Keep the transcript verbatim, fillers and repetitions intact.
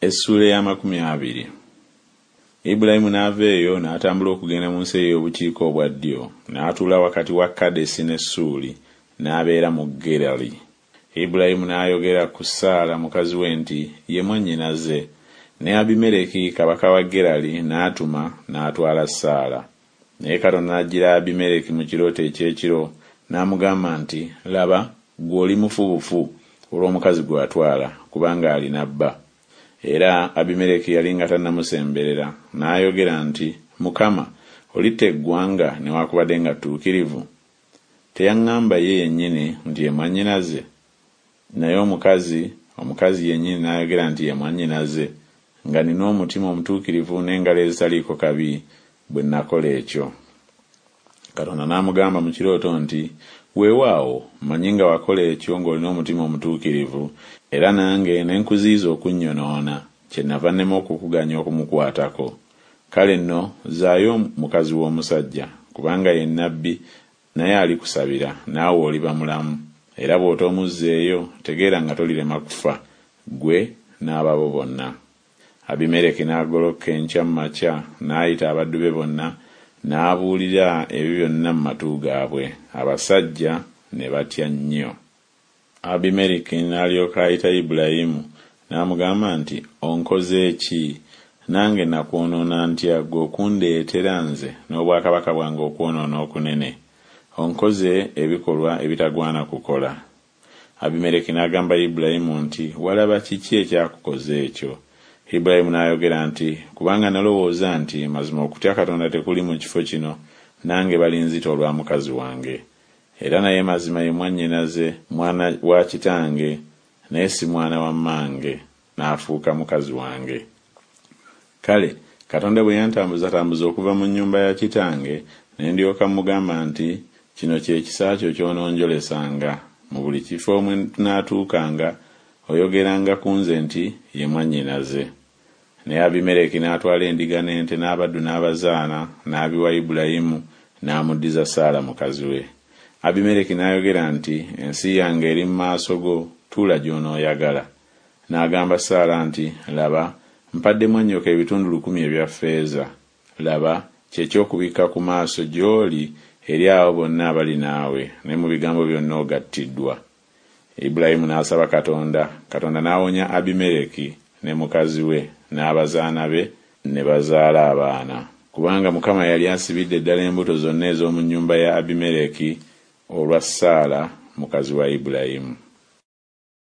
Essuula ey'amakumi abiri. Ibulayimu n'ava eyo n'atambula okugenda mu nsi ey'obukiika obwa ddyo, n'atuula wakati wa Kadesi ne Ssuuli, n'abeera mu Gerali. Ibulayimu n'ayogera ku Saala mukazi we nti Ye mwannyinaze. Ne Abimereki kabaka wa Gerali n'atuma n'atwala Saala. Naye Katonda n'ajjira Abimereki mu kirooto eky'ekiro n'amugamba nti Laba, ggwe oli mufu bufu olw'omukazi gwe watwala, kubanga alina bba. Era Abimereki yali nga tannamusemberera, n'ayogera nti Mukama, olitta eggwanga newakubadde nga ttuukirivu? Teyaŋŋamba ye yennyini nti ye mwannyinaze? Naye omukazi omukazi yennyini n'ayogera nti ye mwannyinaze, nga nnina omutima omutuukirivu n'engalo ezitaliiko kabi bwe nakola ekyo. Katonda n'amugamba mu kirooto nti Weewaawo, mmanyi nga wakola ekyo ng'olina omutima omutuukirivu, era nange ne nkuziyiza okunnyonoona, kyennava nnema okukuganya okumukwatako. Kale nno zzaayo mukazi w'omusajja, kubanga ye nnabbi, naye alikusabira, naawe oliba mulamu, era bw'otoomuzzeeyo, tegeera nga tolirema kufa, ggwe n'ababo bonna. Abimereki n'agolokoka enkya mu makya n'ayita abaddu be bonna, n'abuulira ebyo byonna mu matu gaabwe, abasajja ne batya nnyo. Abimereki n'alyoka ayita Ibulayimu n'amugamba nti Onkoze ki? Nange nakwonoona ntya ggwe okundeetera nze n'obwakabaka bwange okwonoona okunene? Onkoze ebikolwa ebitagwana kukola. Abimereki n'agamba Ibulayimu nti Walaba kiki ekyakukoza ekyo? Ibulayimu n'ayogera nti Kubanga nalowooza nti Mazima okutya Katonda tekuli mu kifo kino, nange balinzita olwa mukazi wange. Era naye mazima ye mwannyinaze, mwana wa kitange, naye si mwana wa mmange, n'afuuka mukazi wange. Kale Katonda bwe yantambuzatambuza okuva mu nnyumba ya kitange, ne ndyoka mmugamba nti Kino kye kisa kyo ky'ononjolesanga, mu buli kifo mwe tunaatuukanga oyogeranga ku nze nti Ye mwannyinaze. Naye Abimereki n'atwala endiga n'ente n'abaddu n'abazaana, n'abiwa Ibulayimu, n'amuddiza Saala mukazi we. Abimereki n'ayogera nti Ensi yange eri mu maaso go, tuula gy'onooyagala. N'agamba Saala nti Laba, mpadde mwannyoko ebitundu lukumi ebya ffeeza, laba, kye ky'okubikka ku maaso gy'oli eri abo bonna abali naawe, ne mu bigambo byonna ogattiddwa. Ibulayimu n'asaba Katonda, Katonda n'awonya Abimereki ne mukazi we n'abazaana be ne bazaala abaana. Kubanga Mukama yali asibidde ddala embuto zonna ez'omu nnyumba ya Abimereki olwa Saala mukazi wa Ibulayimu.